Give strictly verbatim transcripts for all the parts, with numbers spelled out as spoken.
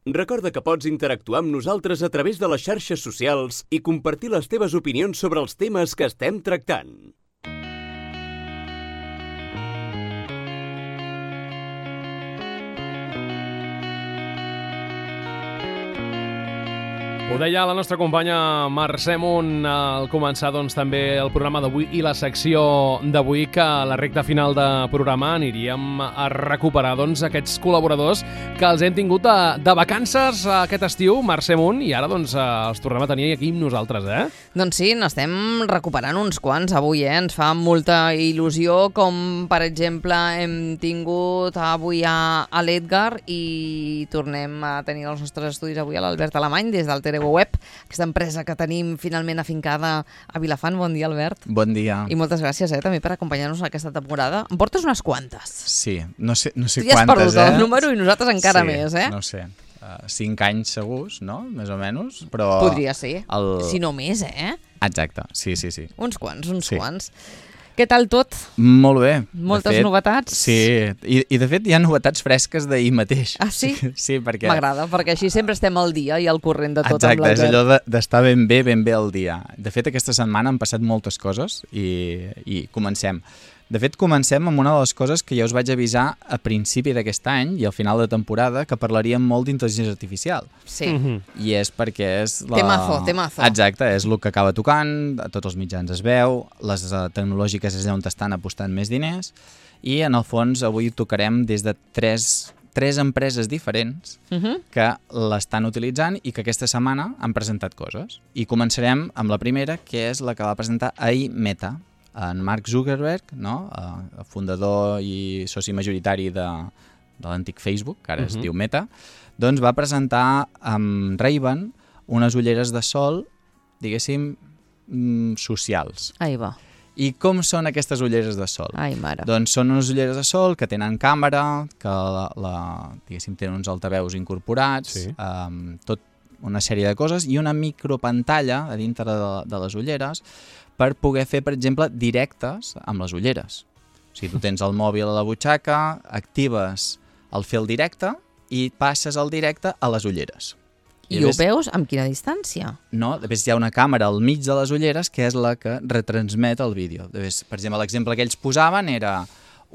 Recorda que pots interactuar amb nosaltres a través de les xarxes socials i compartir les teves opinions sobre els temes que estem tractant. Ho deia la nostra companya Mercè Munt al començar doncs, també el programa d'avui i la secció d'avui, que a la recta final de programa aniríem a recuperar doncs, aquests col·laboradors que els hem tingut de, de vacances aquest estiu, Mercè Munt, i ara doncs, els tornem a tenir aquí amb nosaltres, eh? Doncs sí, n'estem recuperant uns quants avui, eh? Ens fa molta il·lusió, com per exemple hem tingut avui a, a l'Edgar i tornem a tenir els nostres estudis avui a l'Albert Alemany des del Tere Web, aquesta empresa que tenim finalment afincada a Vilafant. Bon dia, Albert. Bon dia. I moltes gràcies eh, també per acompanyar-nos aquesta temporada. Em portes unes quantes. Sí, no sé, no sé tu ja quantes, has perdut eh? el número i nosaltres encara sí, més, eh? no sé. Uh, cinc anys segurs, no? Més o menys, però... Podria ser, el... si no més, eh? Exacte, sí, sí, sí. Uns quants, uns sí. quants. Què tal tot? Molt bé. Moltes fet, novetats? Sí, I, i de fet hi ha novetats fresques d'ahir mateix. Ah, sí? Sí, sí perquè... M'agrada, perquè així sempre estem al dia i al corrent de tot. Exacte, amb és allò de, d'estar ben bé, ben bé al dia. De fet, aquesta setmana han passat moltes coses i, i comencem. De fet, comencem amb una de les coses que ja us vaig avisar a principi d'aquest any i al final de temporada, que parlaríem molt d'intel·ligència artificial. Sí. Mm-hmm. I és perquè és... La... Temazo, temazo. Exacte, és el que acaba tocant, a tots els mitjans es veu, les uh, tecnològiques és on estan apostant més diners, i en el fons avui tocarem des de tres, tres empreses diferents uh-huh. que l'estan utilitzant i que aquesta setmana han presentat coses. I començarem amb la primera, que és la que va presentar ahir Meta. En Mark Zuckerberg, no? uh, fundador i soci majoritari de, de l'antic Facebook, que ara uh-huh. es diu Meta, doncs va presentar amb Ray-Ban unes ulleres de sol, diguéssim, mm, socials. Ahí va. I com són aquestes ulleres de sol? Ai, mare. Doncs són unes ulleres de sol que tenen càmera, que la, la, diguéssim, tenen uns altaveus incorporats, sí. um, tot una sèrie de coses, i una micropantalla a dintre de, de les ulleres per poder fer, per exemple, directes amb les ulleres. O sigui, tu tens el mòbil a la butxaca, actives el fer el directe i passes el directe a les ulleres. I, I ho veus amb quina distància? No, després hi ha una càmera al mig de les ulleres que és la que retransmet el vídeo. Després, per exemple, l'exemple que ells posaven era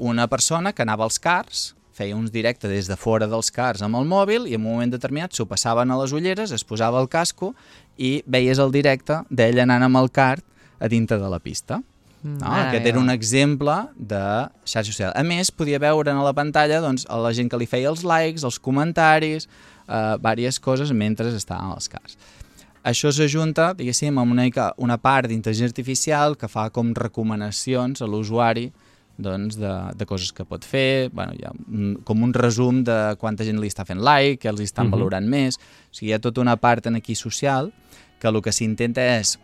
una persona que anava als cars, feia uns directes des de fora dels cars amb el mòbil i en un moment determinat s'ho passaven a les ulleres, es posava el casco i veies el directe d'ell anant amb el car a dintre de la pista. No? Aquest era un exemple de xarxa social. A més, podia veure a la pantalla doncs, a la gent que li feia els likes, els comentaris, eh, diverses coses mentre estaven als cars. Això s'ajunta, diguéssim, amb una, una part d'intel·ligència artificial que fa com recomanacions a l'usuari doncs, de, de coses que pot fer, bueno, hi ha un, com un resum de quanta gent li està fent like, que els estan uh-huh. valorant més. O sigui, hi ha tota una part en aquí social que el que s'intenta és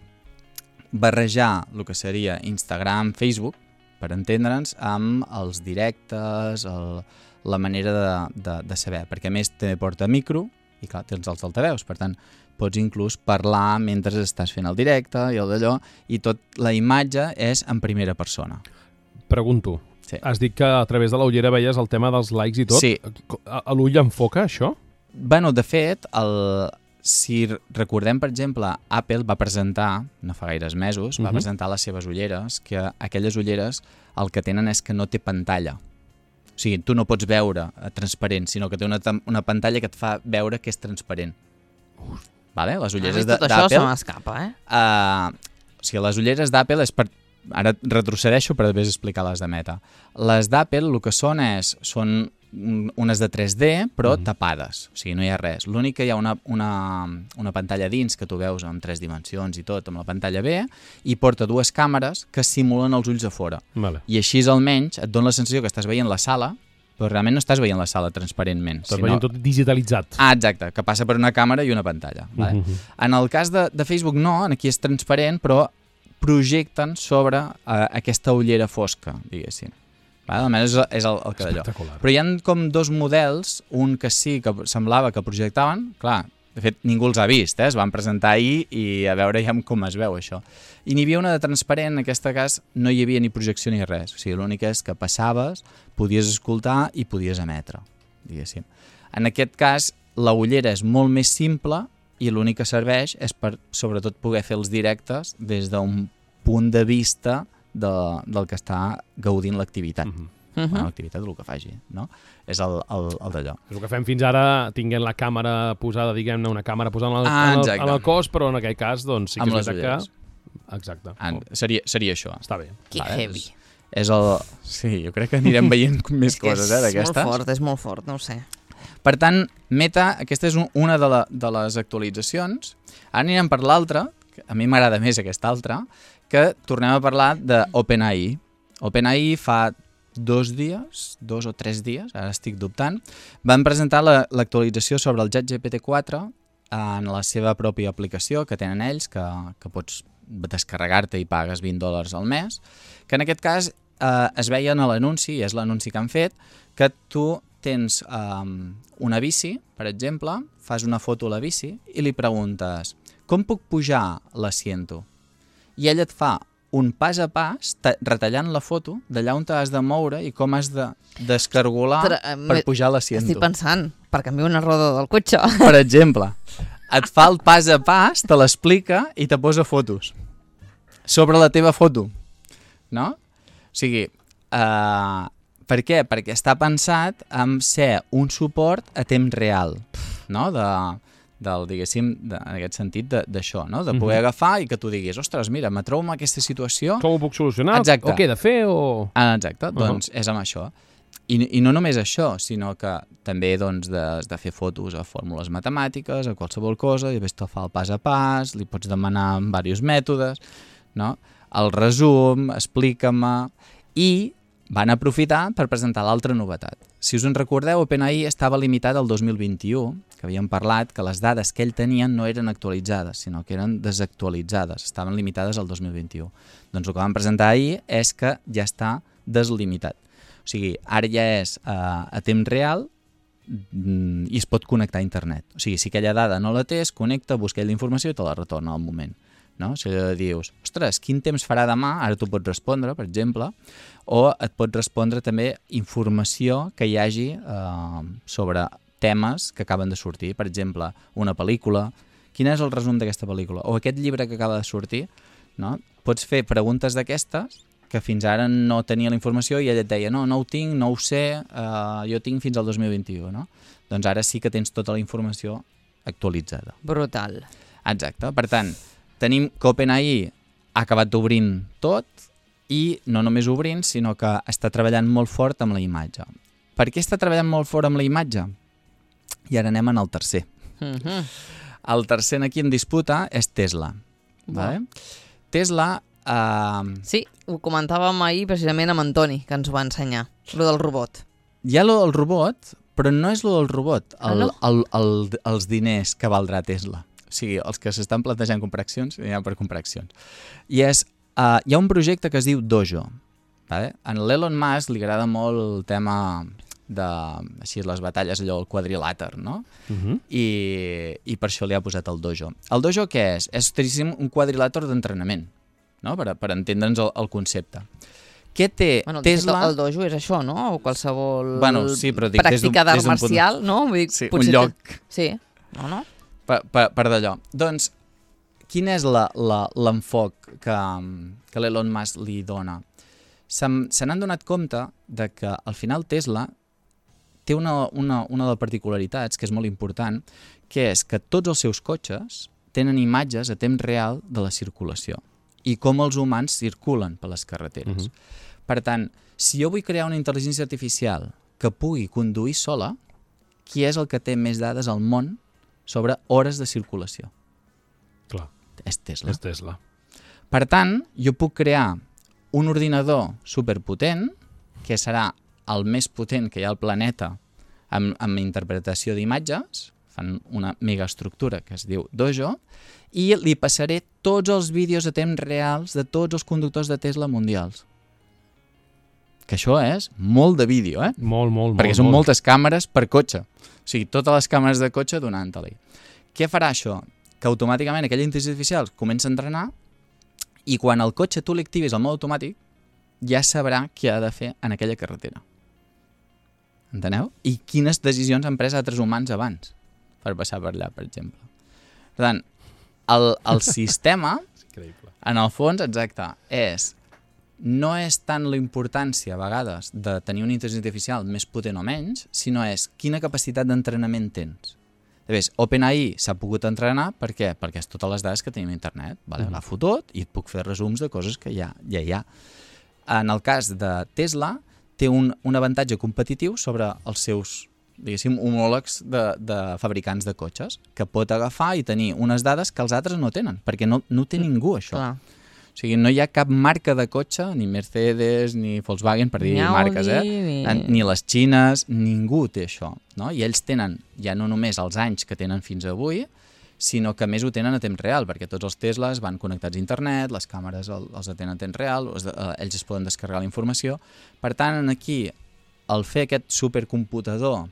barrejar el que seria Instagram, Facebook, per entendre'ns, amb els directes, el, la manera de, de, de saber, perquè a més també porta micro i clar, tens els altaveus, per tant pots inclús parlar mentre estàs fent el directe i el d'allò, i tot la imatge és en primera persona. Pregunto, sí. Has dit que a través de la ullera veies el tema dels likes i tot? Sí. A, a l'ull enfoca això? Bueno, de fet, el... si recordem, per exemple, Apple va presentar, no fa gaires mesos, uh-huh. va presentar les seves ulleres, que aquelles ulleres el que tenen és que no té pantalla. O sigui, tu no pots veure transparent, sinó que té una, una pantalla que et fa veure que és transparent. Uh. Vale? Les ulleres d'Apple... Tot això se m'escapa, eh? Uh, o sigui, les ulleres d'Apple és per... Ara retrocedeixo per després explicar les de Meta. Les d'Apple el que són és... són unes de tres D, però mm. tapades, o sigui, no hi ha res. L'únic que hi ha una, una, una pantalla dins que tu veus en tres dimensions i tot, amb la pantalla B, i porta dues càmeres que simulen els ulls a fora. Vale. I així almenys et dona la sensació que estàs veient la sala, però realment no estàs veient la sala transparentment. Estàs sinó... veient tot digitalitzat. Ah, exacte, que passa per una càmera i una pantalla. Vale? Mm-hmm. En el cas de, de Facebook no, aquí és transparent, però projecten sobre uh, aquesta ullera fosca, diguéssim. Vale? Almenys és, és el, el que d'allò. Però hi ha com dos models, un que sí que semblava que projectaven, clar, de fet ningú els ha vist, eh? Es van presentar ahir i a veure ja com es veu això. I n'hi havia una de transparent, en aquest cas no hi havia ni projecció ni res, o sigui, l'únic és que passaves, podies escoltar i podies emetre, diguéssim. En aquest cas, la ullera és molt més simple i l'únic que serveix és per, sobretot, poder fer els directes des d'un punt de vista de, del que està gaudint l'activitat. Mm-hmm. Uh-huh. Bueno, l'activitat del que faci, no? És el, el, el d'allò. És el que fem fins ara, tinguent la càmera posada, diguem-ne, una càmera posada en el, ah, en, el, en el cos, però en aquell cas, doncs, sí que amb és veritat que... Exacte. Ah, seria, seria això. Està bé. Que vale, heavy. És, és el... Sí, jo crec que anirem veient més coses, eh, d'aquestes. És molt fort, és molt fort, no ho sé. Per tant, Meta, aquesta és un, una de, la, de les actualitzacions. Ara anirem per l'altra, que a mi m'agrada més aquesta altra, que tornem a parlar d'OpenAI. OpenAI fa dos dies, dos o tres dies, ara estic dubtant, van presentar la, l'actualització sobre el ChatGPT quatre en la seva pròpia aplicació que tenen ells, que, que pots descarregar-te i pagues vint dòlars al mes, que en aquest cas eh, es veia en l'anunci, i és l'anunci que han fet, que tu tens eh, una bici, per exemple, fas una foto a la bici i li preguntes com puc pujar l'assiento? I ell et fa un pas a pas, retallant la foto d'allà on t'has de moure i com has de descargolar Tra per pujar l'assiento. Estic pensant, per canviar una roda del cotxe. Per exemple, et fa el pas a pas, te l'explica i te posa fotos sobre la teva foto, no? O sigui, uh, per què? Perquè està pensat en ser un suport a temps real, no? De... del, diguéssim, de, en aquest sentit d'això, no? De poder mm-hmm. agafar i que tu diguis, ostres, mira, me trobo en aquesta situació... Com ho puc solucionar? Exacte. O què he de fer? O... Ah, exacte, doncs uh -huh. és amb això. I, I no només això, sinó que també doncs, de, de fer fotos a fórmules matemàtiques, a qualsevol cosa, i després te'l fa el pas a pas, li pots demanar en diversos mètodes, no? El resum, explica-me... I van aprofitar per presentar l'altra novetat. Si us en recordeu, OpenAI estava limitat al dos mil vint-i-u, que havíem parlat que les dades que ell tenia no eren actualitzades, sinó que eren desactualitzades, estaven limitades al dos mil vint-i-u. Doncs el que van presentar ahir és que ja està deslimitat. O sigui, ara ja és uh, a temps real i es pot connectar a internet. O sigui, si aquella dada no la té, es connecta, busca la informació i te la retorna al moment. No? Si dius, ostres, quin temps farà demà? Ara tu pots respondre, per exemple, o et pot respondre també informació que hi hagi eh, sobre temes que acaben de sortir. Per exemple, una pel·lícula, quin és el resum d'aquesta pel·lícula? O aquest llibre que acaba de sortir, no? Pots fer preguntes d'aquestes que fins ara no tenia la informació i ella et deia, no, no ho tinc, no ho sé, eh, jo tinc fins al dos mil vint-i-u, no? Doncs ara sí que tens tota la informació actualitzada. Brutal. Exacte, per tant, tenim que OpenAI ha acabat obrint tot i no només obrint, sinó que està treballant molt fort amb la imatge. Per què està treballant molt fort amb la imatge? I ara anem en el tercer. Mm-hmm. El tercer aquí en disputa és Tesla. Vale? Tesla... Uh... Sí, ho comentàvem ahir precisament amb Antoni, que ens ho va ensenyar, lo del robot. Hi ha lo del robot, però no és lo del robot, el, ah, no? el, el, els diners que valdrà Tesla. O sigui, els que s'estan plantejant comprar accions, hi ha per comprar accions. I és, uh, hi ha un projecte que es diu Dojo. Vale? A l'Elon Musk li agrada molt el tema de, així, les batalles, allò, el quadrilàter, no? Uh-huh. I, I per això li ha posat el Dojo. El Dojo què és? És un quadrilàter d'entrenament, no? Per, per entendre'ns el, el concepte. Què té bueno, Tesla... El dojo és això, no? O qualsevol bueno, sí, però dic, pràctica d'art marcial, punt... no? Vull dir, sí, un lloc. Que... Sí, no, no? Per, per, per d'allò. Doncs, quin és l'enfoc que, que l'Elon Musk li dona? Se n'han donat compte de que al final Tesla té una, una, una de les particularitats que és molt important, que és que tots els seus cotxes tenen imatges a temps real de la circulació i com els humans circulen per les carreteres. Uh-huh. Per tant, si jo vull crear una intel·ligència artificial que pugui conduir sola, qui és el que té més dades al món sobre hores de circulació? Clar. És Tesla. És Tesla. Per tant, jo puc crear un ordinador superpotent, que serà el més potent que hi ha al planeta amb, amb interpretació d'imatges, fan una megaestructura que es diu Dojo, i li passaré tots els vídeos a temps reals de tots els conductors de Tesla mundials. Que això és molt de vídeo, eh? Molt, molt, Perquè molt. són molt. moltes càmeres per cotxe. O sigui, totes les càmeres de cotxe donant-te-li. Què farà això? Que automàticament aquella intel·ligència artificial comença a entrenar i quan el cotxe tu l'activis al mode automàtic ja sabrà què ha de fer en aquella carretera. Enteneu? I quines decisions han pres altres humans abans. per passar per allà, per exemple. Per tant, el, el sistema, en el fons, exacte, és no és tant la importància, a vegades, de tenir una intel·ligència artificial més potent o menys, sinó és quina capacitat d'entrenament tens. Llavors, OpenAI s'ha pogut entrenar, per què? Perquè és totes les dades que tenim a internet. Vale? Mm. L'agafo tot i et puc fer resums de coses que ja, ja hi ha. En el cas de Tesla, té un, un avantatge competitiu sobre els seus, diguéssim, homòlegs de, de fabricants de cotxes, que pot agafar i tenir unes dades que els altres no tenen, perquè no, no té ningú, això. Clar. O sigui, no hi ha cap marca de cotxe, ni Mercedes, ni Volkswagen, per dir ni marques, eh? Ni... ni les xines, ningú té això, no? I ells tenen ja no només els anys que tenen fins avui, sinó que més ho tenen a temps real, perquè tots els Teslas van connectats a internet, les càmeres els atenen a temps real, ells es poden descarregar la informació. Per tant, aquí, el fer aquest supercomputador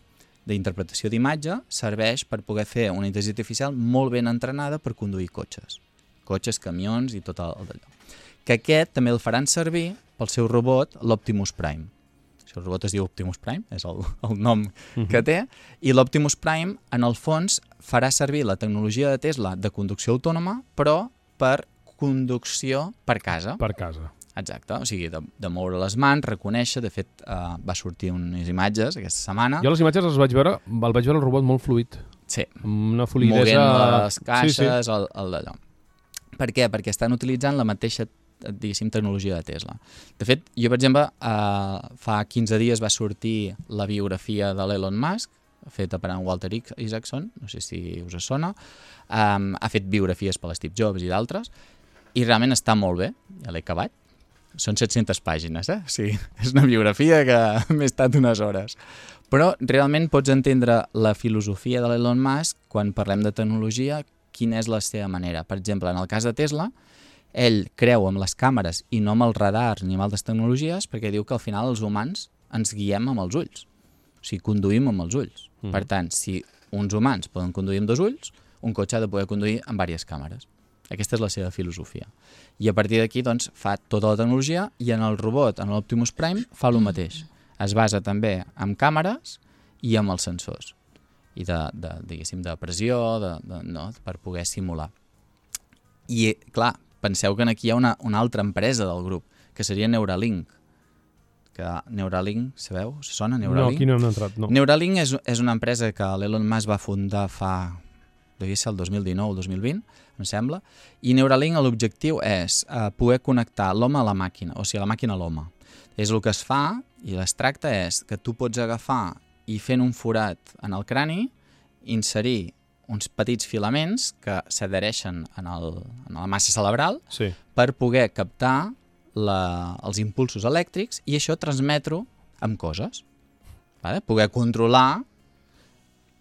d'interpretació d'imatge serveix per poder fer una intel·ligència artificial molt ben entrenada per conduir cotxes. Cotxes, camions i tot el d'allò. Que aquest també el faran servir pel seu robot, l'Optimus Prime. El seu robot es diu Optimus Prime, és el, el nom uh-huh. que té, i l'Optimus Prime, en el fons, farà servir la tecnologia de Tesla de conducció autònoma, però per conducció per casa. Per casa. Exacte, o sigui, de, de moure les mans, reconèixer, de fet, uh, va sortir unes imatges aquesta setmana. Jo les imatges les vaig veure, el vaig veure el robot molt fluid. Sí. Una fluidesa... Movent les caixes, sí, sí. El, el d'allò. Per què? Perquè estan utilitzant la mateixa, diguéssim, tecnologia de Tesla. De fet, jo, per exemple, eh, fa quinze dies va sortir la biografia de l'Elon Musk, feta per en Walter Isaacson, no sé si us sona, um, ha fet biografies per l'Steve Jobs i d'altres, i realment està molt bé, ja l'he acabat. Són set-centes pàgines, eh? O sigui, és una biografia que m'he estat unes hores. Però realment pots entendre la filosofia de l'Elon Musk quan parlem de tecnologia, quina és la seva manera. Per exemple, en el cas de Tesla, ell creu amb les càmeres i no amb els radars ni amb altres tecnologies perquè diu que al final els humans ens guiem amb els ulls. O sigui, conduïm amb els ulls. Mm. Per tant, si uns humans poden conduir amb dos ulls, un cotxe ha de poder conduir amb diverses càmeres. Aquesta és la seva filosofia. I a partir d'aquí, doncs, fa tota la tecnologia i en el robot, en l'Optimus Prime, fa el mateix. Es basa també en càmeres i amb els sensors. I de, de, diguéssim, de pressió, de, de, no, per poder simular. I, clar, penseu que aquí hi ha una, una altra empresa del grup, que seria Neuralink. Que Neuralink, sabeu? Sona Neuralink? No, aquí no hem entrat, no. Neuralink és, és una empresa que l'Elon Musk va fundar fa, devia ser el dos mil dinou o dos mil vint, em sembla, i Neuralink l'objectiu és eh, poder connectar l'home a la màquina, o sigui, la màquina a l'home. És el que es fa, i es tracta és que tu pots agafar i fent un forat en el crani, inserir uns petits filaments que s'adhereixen en, el, en la massa cerebral sí. per poder captar la, els impulsos elèctrics i això transmetre-ho amb coses. Vale? Poder controlar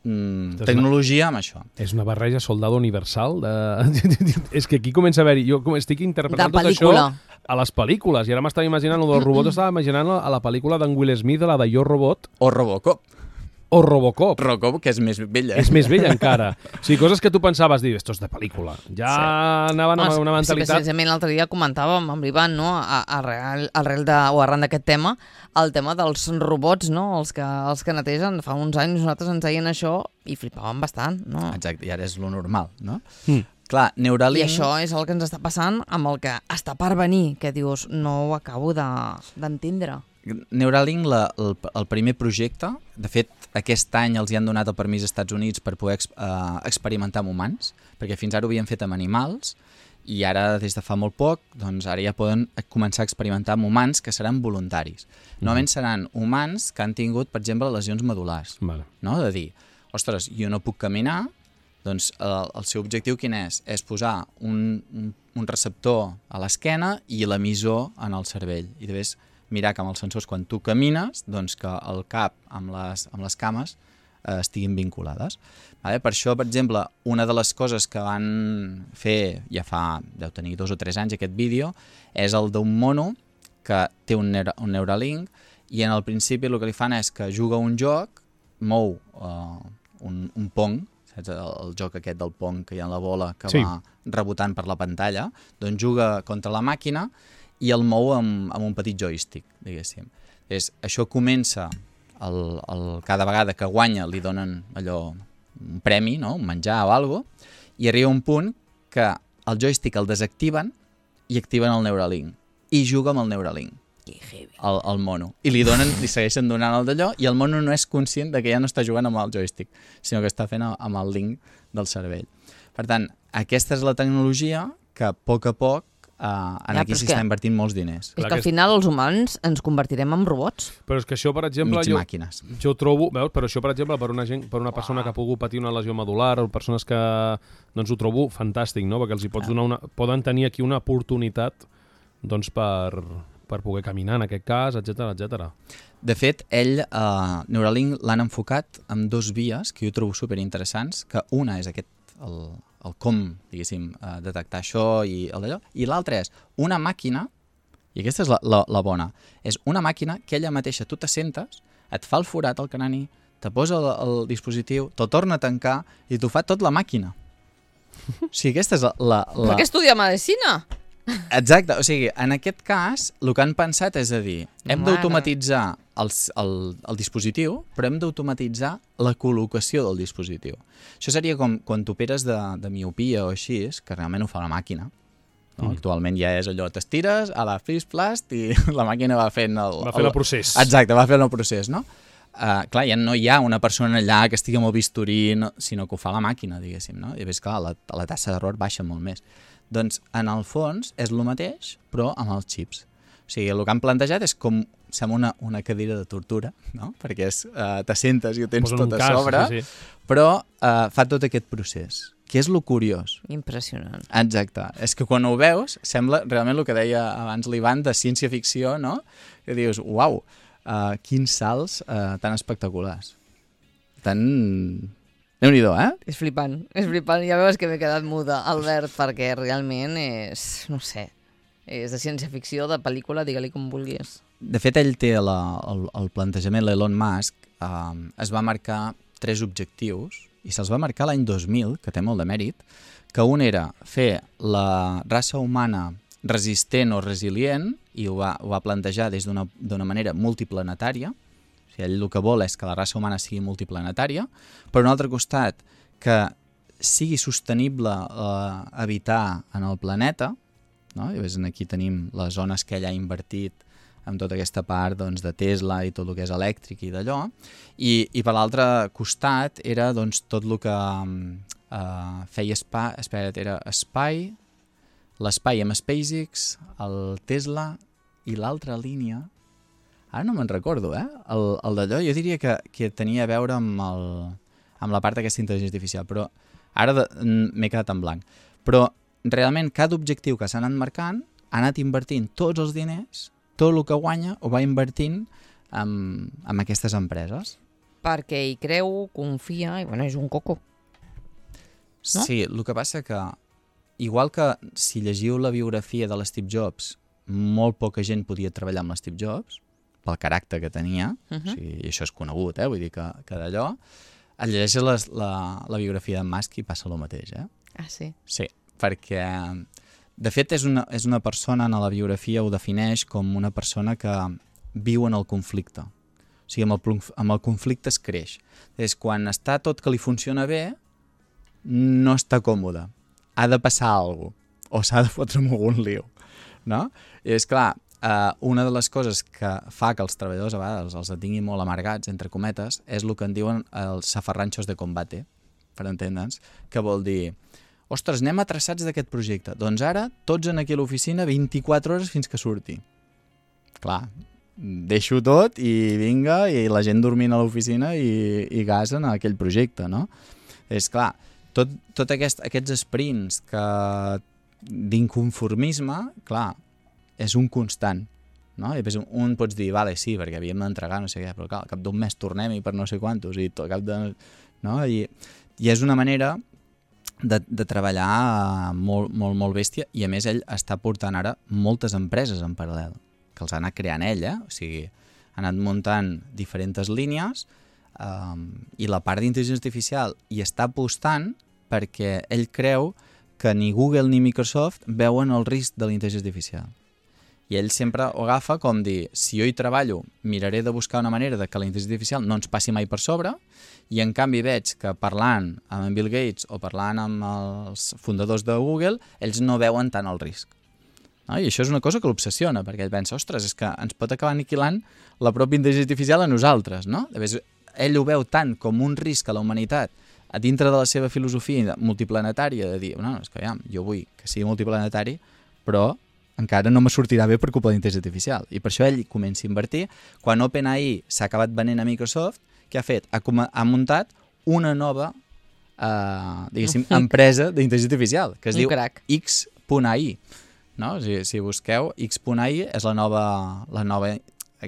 mm, tecnologia amb això. És una barreja soldado universal. De... és que aquí comença a haver-hi... Jo estic interpretant tot això a les pel·lícules i ara m'estava imaginant, el del robot estava imaginant a la pel·lícula d'en Will Smith, de la de Jo Robot. O Robocop. O Robocop. Robocop, que és més vella. És més vella encara. O sigui, coses que tu pensaves, dir, esto és de pel·lícula. Ja sí. anaven amb una mentalitat... Sí, precisament l'altre dia comentàvem amb l'Ivan, no? Arrel, arrel de, o arran d'aquest tema, el tema dels robots, no? Els que, els que netegen. Fa uns anys nosaltres ens deien això i flipàvem bastant, no? Exacte, i ara és lo normal, no? Mm. Clar, Neuralink... I això és el que ens està passant amb el que està per venir, que dius, no ho acabo d'entendre. De, Neuralink, la, el, el primer projecte, de fet, aquest any els hi han donat el permís als Estats Units per poder ex, uh, experimentar amb humans, perquè fins ara ho havien fet amb animals, i ara, des de fa molt poc, doncs ara ja poden començar a experimentar amb humans que seran voluntaris. Mm-hmm. Normalment seran humans que han tingut, per exemple, lesions medul·lars. Vale. No? De dir, ostres, jo no puc caminar, doncs el, el seu objectiu quin és? És posar un, un, un receptor a l'esquena i l'emissor en el cervell. I després mirar que amb els sensors, quan tu camines, doncs que el cap amb les, amb les cames eh, estiguin vinculades. Vale? Per això, per exemple, una de les coses que van fer, ja fa, deu tenir dos o tres anys aquest vídeo, és el d'un mono que té un, neura, un Neuralink i en el principi el que li fan és que juga un joc, mou eh, un, un pong, saps? El, el joc aquest del pong que hi ha en la bola que sí. va rebotant per la pantalla, doncs juga contra la màquina i el mou amb, amb un petit joystick, diguéssim. És, això comença, el, el, cada vegada que guanya li donen allò un premi, no? Un menjar o alguna cosa, i arriba un punt que el joystick el desactiven i activen el Neuralink. I juga amb el Neuralink, el, el mono. I li donen, li segueixen donant el d'allò, i el mono no és conscient de que ja no està jugant amb el joystick, sinó que està fent amb el link del cervell. Per tant, aquesta és la tecnologia que a poc a poc Uh, en ja, aquí s'hi està invertint molts diners. És que al final els humans ens convertirem en robots. Però és que això, per exemple... Mig jo, màquines. Jo trobo... Veus? Però això, per exemple, per una, gent, per una persona que ha pogut patir una lesió medular o persones que... Doncs ho trobo fantàstic, no? Perquè els hi pots donar una... Poden tenir aquí una oportunitat doncs per, per poder caminar, en aquest cas, etcètera, etcètera. De fet, ell, uh, Neuralink, l'han enfocat amb dos vies que jo trobo superinteressants, que una és aquest... El, el com, diguéssim, eh, detectar això i el d'allò, i l'altra és una màquina, i aquesta és la, la, la bona, és una màquina que ella mateixa, tu t'assentes, et fa el forat al crani, te posa el, el dispositiu, te'l torna a tancar i t'ho fa tot la màquina. O sigui, aquesta és la... la, la... Per què estudia medicina? Exacte, o sigui, en aquest cas, el que han pensat és a dir, hem Mare. d'automatitzar el, el, el dispositiu, però hem d'automatitzar la col·locació del dispositiu. Això seria com quan t'operes de, de miopia o així, que realment ho fa la màquina. No? Mm. Actualment ja és allò, t'estires, a la flisplast, i la màquina va fent el... Va fent el procés. Exacte, va fent el procés, no? Uh, clar, ja no hi ha una persona allà que estigui amb el bisturí, no, sinó que ho fa la màquina, diguéssim, no? I ves, clar, la, la tassa d'error baixa molt més. Doncs, en el fons, és el mateix, però amb els xips. O sigui, el que han plantejat és com, sembla una, una cadira de tortura, no? Perquè és, uh, t'assentes i ho tens Posen tot a cas, sobre, sí, sí. però uh, fa tot aquest procés, que és lo curiós. Impressionant. Exacte. És que quan ho veus, sembla realment el que deia abans l'Ivan de ciència-ficció, no? Que dius, uau, uh, quins salts uh, tan espectaculars. Tan... Déu-n'hi-do, eh? És flipant, és flipant. Ja veus que m'he quedat muda, Albert, perquè realment és, no sé, és de ciència-ficció, de pel·lícula, digue-li com vulguis. De fet, ell té la, el, el plantejament, l'Elon Musk, eh, es va marcar tres objectius, i se'ls va marcar l'any dos mil, que té molt de mèrit, que un era fer la raça humana resistent o resilient, i ho va, ho va plantejar des d'una d'una manera multiplanetària. O sigui, ell el que vol és que la raça humana sigui multiplanetària, per un altre costat, que sigui sostenible eh, habitar en el planeta, no? I ves, aquí tenim les zones que ell ha invertit amb tota aquesta part doncs, de Tesla i tot el que és elèctric i d'allò, i, i per l'altre costat era doncs, tot el que eh, feia espai, espera't, era espai, l'espai amb SpaceX, el Tesla i l'altra línia, ara no me'n recordo, eh? El, el d'allò jo diria que, que tenia a veure amb, el, amb la part d'aquesta intel·ligència artificial, però ara m'he quedat en blanc. Però realment cada objectiu que s'ha anat marcant ha anat invertint tots els diners, tot el que guanya ho va invertint en, en aquestes empreses. Perquè hi creu, confia, i bueno, és un coco. No? Sí, el que passa que, igual que si llegiu la biografia de l'Steve Jobs, molt poca gent podia treballar amb l'Steve Jobs, pel caràcter que tenia, uh -huh. O sigui, i això és conegut, eh? Vull dir que, que d'allò, et llegeixes la, la, la biografia d'en Musk i passa el mateix, eh? Ah, sí? Sí, perquè, de fet, és una, és una persona, en la biografia ho defineix com una persona que viu en el conflicte. O sigui, amb el, amb el conflicte es creix. És quan està tot que li funciona bé, no està còmode. Ha de passar alguna cosa, o s'ha de fotre amb algun lío, no? I és clar, Uh, una de les coses que fa que els treballadors a vegades els tinguin molt amargats, entre cometes, és el que en diuen els safarranxos de combate, per entendre'ns, que vol dir, ostres, anem atrasats d'aquest projecte, doncs ara tots en aquí a l'oficina vint-i-quatre hores fins que surti. Clar, deixo tot i vinga, i la gent dormint a l'oficina i, i gasen a aquell projecte, no? És clar, tot, tot aquest, aquests sprints que d'inconformisme, clar, és un constant, no? I després un pots dir, vale, sí, perquè havíem d'entregar, no sé què, però clar, al cap d'un mes tornem-hi per no sé quantos, i tot, cap de... No? I, i és una manera de, de treballar molt, molt, molt bèstia, i a més ell està portant ara moltes empreses en paral·lel, que els ha anat creant ell, eh? O sigui, ha anat muntant diferents línies, um, i la part d'intel·ligència artificial hi està apostant perquè ell creu que ni Google ni Microsoft veuen el risc de la intel·ligència artificial. I ell sempre ho agafa com dir, si jo hi treballo, miraré de buscar una manera de que la intel·ligència artificial no ens passi mai per sobre, i en canvi veig que parlant amb en Bill Gates o parlant amb els fundadors de Google, ells no veuen tant el risc. No? I això és una cosa que l'obsessiona, perquè ell pensa, ostres, és que ens pot acabar aniquilant la pròpia intel·ligència artificial a nosaltres. No? Llavors, ell ho veu tant com un risc a la humanitat a dintre de la seva filosofia multiplanetària, de dir, no, és que ja, jo vull que sigui multiplanetari, però encara no me sortirà bé per culpa de la intel·ligència artificial. I per això ell comença a invertir. Quan OpenAI s'ha acabat venent a Microsoft, què ha fet? Ha, ha muntat una nova eh, diguéssim, empresa d'intel·ligència artificial, que es diu X punt A I. No? Si, si busqueu, X punt A I és la nova, la nova,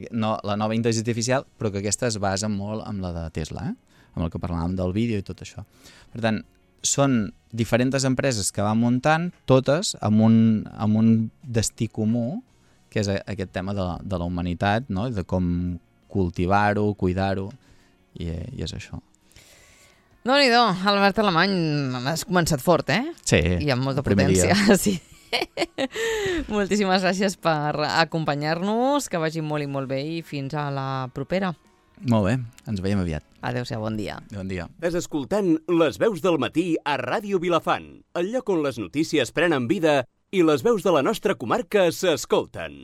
no, la nova intel·ligència artificial, però que aquesta es basa molt en la de Tesla, eh? Amb el que parlàvem del vídeo i tot això. Per tant, són diferents empreses que van muntant, totes amb un, amb un destí comú, que és aquest tema de la, de la humanitat, no? De com cultivar-ho, cuidar-ho, i, i és això. Déu-n'hi-do, Albert Alemany, has començat fort, eh? Sí, i amb molta primer potència. dia. Sí. Moltíssimes gràcies per acompanyar-nos, que vagi molt i molt bé i fins a la propera. Molt bé, ens veiem aviat. Adéu-siau, bon dia. Bon dia. Estàs escoltant Les veus del matí a Ràdio Vilafant, el lloc on les notícies prenen vida i les veus de la nostra comarca s'escolten.